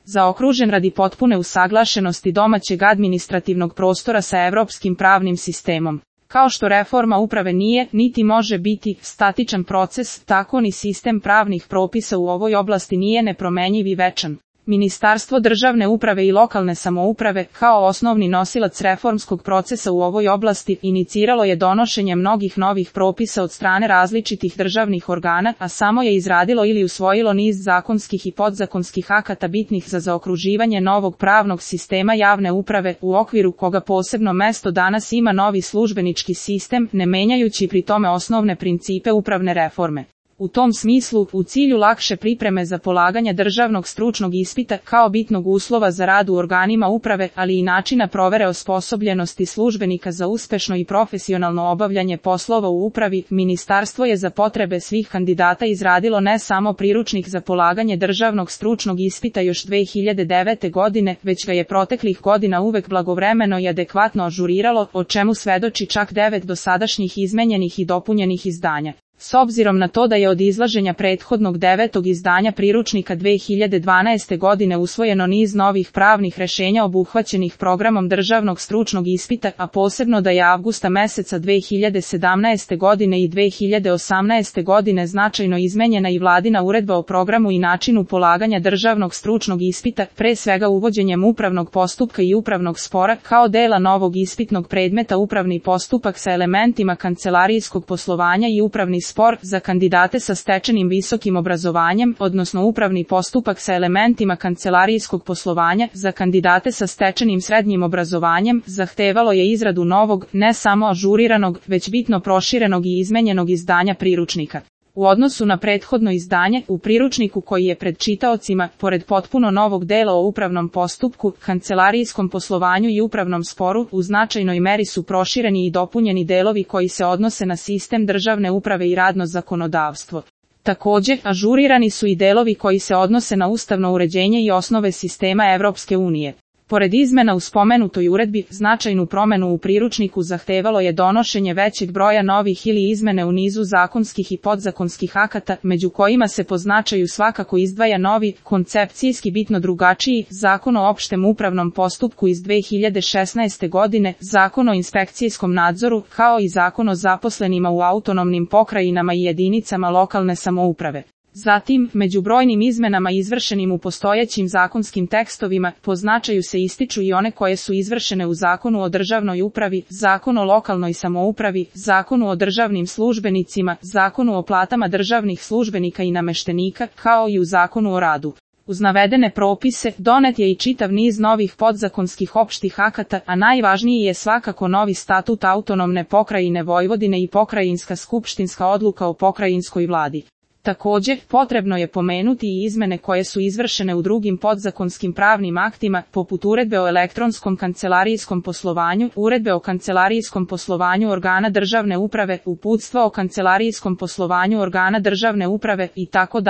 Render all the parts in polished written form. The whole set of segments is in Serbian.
zaokružen radi potpune usaglašenosti domaćeg administrativnog prostora sa evropskim pravnim sistemom. Kao što reforma uprave nije, niti može biti, statičan proces, tako ni sistem pravnih propisa u ovoj oblasti nije nepromenjiv i večan. Ministarstvo državne uprave i lokalne samouprave, kao osnovni nosilac reformskog procesa u ovoj oblasti, iniciralo je donošenje mnogih novih propisa od strane različitih državnih organa, a samo je izradilo ili usvojilo niz zakonskih i podzakonskih akata bitnih za zaokruživanje novog pravnog sistema javne uprave, u okviru koga posebno mesto danas ima novi službenički sistem, ne menjajući pri tome osnovne principe upravne reforme. U tom smislu, u cilju lakše pripreme za polaganje državnog stručnog ispita kao bitnog uslova za rad u organima uprave, ali i načina provere osposobljenosti službenika za uspešno i profesionalno obavljanje poslova u upravi, ministarstvo je za potrebe svih kandidata izradilo ne samo priručnik za polaganje državnog stručnog ispita još 2009. godine, već ga je proteklih godina uvek blagovremeno i adekvatno ažuriralo, o čemu svedoči čak 9 dosadašnjih izmenjenih i dopunjenih izdanja. S obzirom na to da je od izlaženja prethodnog 9. izdanja priručnika 2012. godine usvojeno niz novih pravnih rešenja obuhvaćenih programom državnog stručnog ispita, a posebno da je avgusta meseca 2017. godine i 2018. godine značajno izmenjena i vladina uredba o programu i načinu polaganja državnog stručnog ispita, pre svega uvođenjem upravnog postupka i upravnog spora, kao dela novog ispitnog predmeta upravni postupak sa elementima kancelarijskog poslovanja i upravni spor za kandidate sa stečenim visokim obrazovanjem, odnosno upravni postupak sa elementima kancelarijskog poslovanja za kandidate sa stečenim srednjim obrazovanjem, zahtevalo je izradu novog, ne samo ažuriranog, već bitno proširenog i izmenjenog izdanja priručnika. U odnosu na prethodno izdanje, u priručniku koji je pred čitaocima, pored potpuno novog dela o upravnom postupku, kancelarijskom poslovanju i upravnom sporu, u značajnoj meri su prošireni i dopunjeni delovi koji se odnose na sistem državne uprave i radno zakonodavstvo. Takođe, ažurirani su i delovi koji se odnose na ustavno uređenje i osnove sistema Evropske unije. Pored izmena u spomenutoj uredbi, značajnu promenu u priručniku zahtevalo je donošenje većeg broja novih ili izmene u nizu zakonskih i podzakonskih akata, među kojima se po značaju svakako izdvaja novi, koncepcijski bitno drugačiji, Zakon o opštem upravnom postupku iz 2016. godine, Zakon o inspekcijskom nadzoru, kao i Zakon o zaposlenima u autonomnim pokrajinama i jedinicama lokalne samouprave. Zatim, među brojnim izmenama izvršenim u postojećim zakonskim tekstovima, po značaju se ističu i one koje su izvršene u Zakonu o državnoj upravi, Zakonu o lokalnoj samoupravi, Zakonu o državnim službenicima, Zakonu o platama državnih službenika i nameštenika, kao i u Zakonu o radu. Uz navedene propise, donet je i čitav niz novih podzakonskih opštih akata, a najvažniji je svakako novi statut autonomne pokrajine Vojvodine i pokrajinska skupštinska odluka o pokrajinskoj vladi. Takođe, potrebno je pomenuti i izmene koje su izvršene u drugim podzakonskim pravnim aktima, poput uredbe o elektronskom kancelarijskom poslovanju, uredbe o kancelarijskom poslovanju organa državne uprave, uputstva o kancelarijskom poslovanju organa državne uprave itd.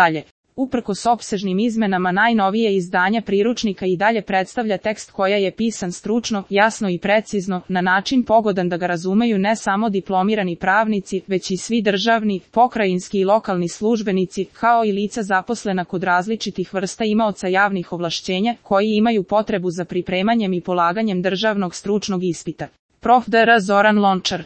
Uprkos opsežnim izmenama, najnovije izdanje priručnika i dalje predstavlja tekst koja je pisan stručno, jasno i precizno, na način pogodan da ga razumeju ne samo diplomirani pravnici, već i svi državni, pokrajinski i lokalni službenici, kao i lica zaposlena kod različitih vrsta imaoca javnih ovlašćenja, koji imaju potrebu za pripremanjem i polaganjem državnog stručnog ispita. Prof. dr. Zoran Lončar